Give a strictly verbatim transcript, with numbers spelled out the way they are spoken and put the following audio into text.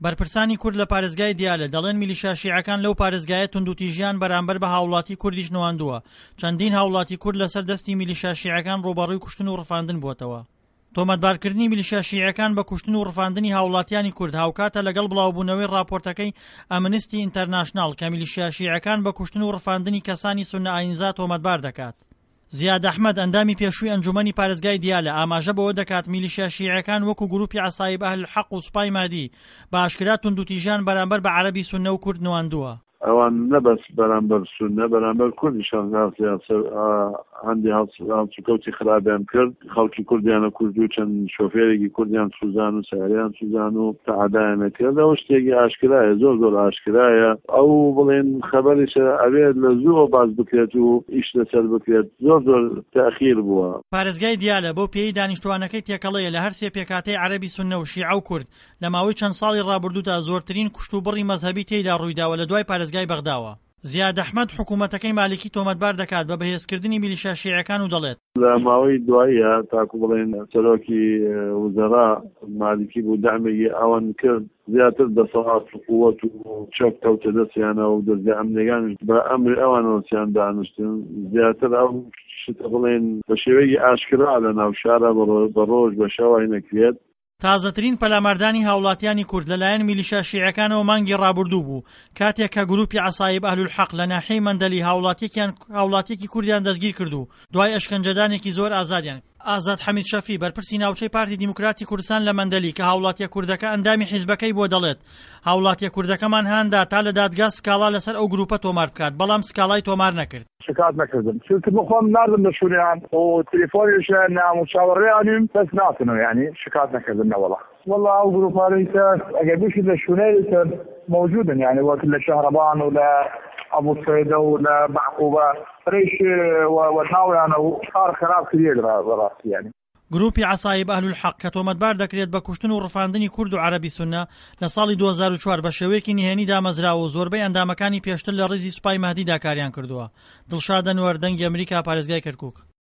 بەرپرسانی کورد لە پارێزگای دیالە دەڵێن میلیشیا شیعەکان لەو پارێزگایە توندوتیژیان بەرامبەر بە هاوڵاتی کوردیش نواندووە، چەندین هاوڵاتی کورد لەسەر دەستی میلیشیا شیعەکان ڕووبەڕووی کوشتن و ڕفاندن بووەتەوە. تۆمەتبارکردنی میلیشیا شیعەکان بە کوشتن و ڕفاندنی هاوڵاتیانی کورد هاوکاتە لەگەڵ بڵاوبوونەوەی ڕاپۆرتەکەی ئەمنستی ئینتەرناشناڵ کە میلیشیا شیعەکان بە کوشتن و ڕفاندنی کەسانی سوننە ئاینزا تۆمەتبار دەکات. زیاد ئەحمەد، ئەندامی پێشووی ئەنجوومەنی پارێزگای دیالە، ئاماژە بەوە دەکات، میلیشیا شیعەکان وەکو گرووپی عەسایب ئەهل حەق و سوپای مەهدی بە ئاشکرا توندوتیژیان بەرامبەر بە عەرەبی سوننە و کورد نواندووە. ئەوان نە بەس بەرامبەر سوننە، بەرامبەر کوردیش هەندێ هەڵسوکەوتی خراپیان کرد، خەڵکی کوردیان ئەکوشت و چەند شۆفێرێکی کوردیان سوزان و سەیارەیان سوزان و تەعادایان ئەکرد، ئەوە شتێکی ئاشکرایە، زۆر زۆر ئاشکرایە. ئەو بڵێن خەبەریشە ئەبێت لە زووەوە باس بکرێت و ئیش لەسەر بکرێت، زۆر زۆر تەئخیر بووە. پارێزگای دیالە بەو پێیەی دانیشتووانەکەی تێکەڵەیە لە هەرسێ پێکهاتەی عەرەبی سوننە و شیعە و کورد، لە ماوەی چەند ساڵی ڕابردوودا زۆرترین کوشتوبڕی مەزهەبی تێیدا ڕوویداوە لە دوای پارێزگای بەغداوە. زیاد ئەحمەد حکوومەتەکەی مالیکی تۆمەتبار دەکات بە بەهێزکردنی میلیشیا شیعەکان و دەڵێت. لە ماوەی دواییە تاکو بڵێین سەرۆکی وزەرا مالیکی بوو دەعمێکی ئەوان کرد زیاتر دەسەڵات و قوت و چەک کەوتە دەستیانەوە و دەزگا ئەمنیەکانیش بە ئەمری ئەوانەوە چیان دانیشتن زیاتر ئەو شتە بڵێین بە شێوەیەکی ئاشکرا لە ناو شارە بە ڕۆژ بە شەوای نەکرێت. تازەترین پەلاماردانی هاوڵاتیانی کورد لەلایەن میلیشیا شیعەکانەوە مانگی ڕابوردوو بوو، کاتێک کە گروپی عەسایب ئەهلولحەق لە ناحیەی مەندەلی هاوڵاتیەکیان هاوڵاتیەکی کوردیان دەستگیرکرد و دوای ئەشکەنجەدانێکی زۆر ئازادیان ئازاد حەمید شەفی، بەرپرسی ناوچەی پارتی دیموکراتی کوردستان لە مەندەلی کە هاوڵاتیە کوردەکە ئەندامی حیزبەکەی بووە دەڵێت، هاوڵاتیە کوردەکەمان هاندا تا لە دادگا سکاڵا لەسەر ئەو گروپە تۆمار بکات، بەڵام سکاڵای تۆمار نەکرد. شکات نەکردم چونکە بخۆم ناردم لە شونیان و تلیفۆنیش نام و چاوەڕێیانیم بەس ناتنەوە یانی شکات نەکردم نەوەڵا. وەڵا ئەو گروپانەی کە ئەگەر بشی لە شونەیلی تر مەوجودن یانی وەک لە شەهرەبان و لە ئەبو سەیدە و لە بەعقوبە فرەیش وە ناویانە و کار خراپ کریەێد بەڕاستی یانی. گروپی عەسایب ئەهلولحەق کە تۆمەتبار دەکرێت بە کوشتن و ڕفاندنی کورد و عەرەبی سوننە، لە ساڵی دوو هەزار و چوار بە شێوەیەکی نهێنی دامەزراوە و زۆربەی ئەندامەکانی پێشتر لە ڕیزی سوپای مەهدیدا کاریان کردووە. دڵشاد ئەنوەر، دەنگی ئەمریکا، پارێزگای کەرکوک.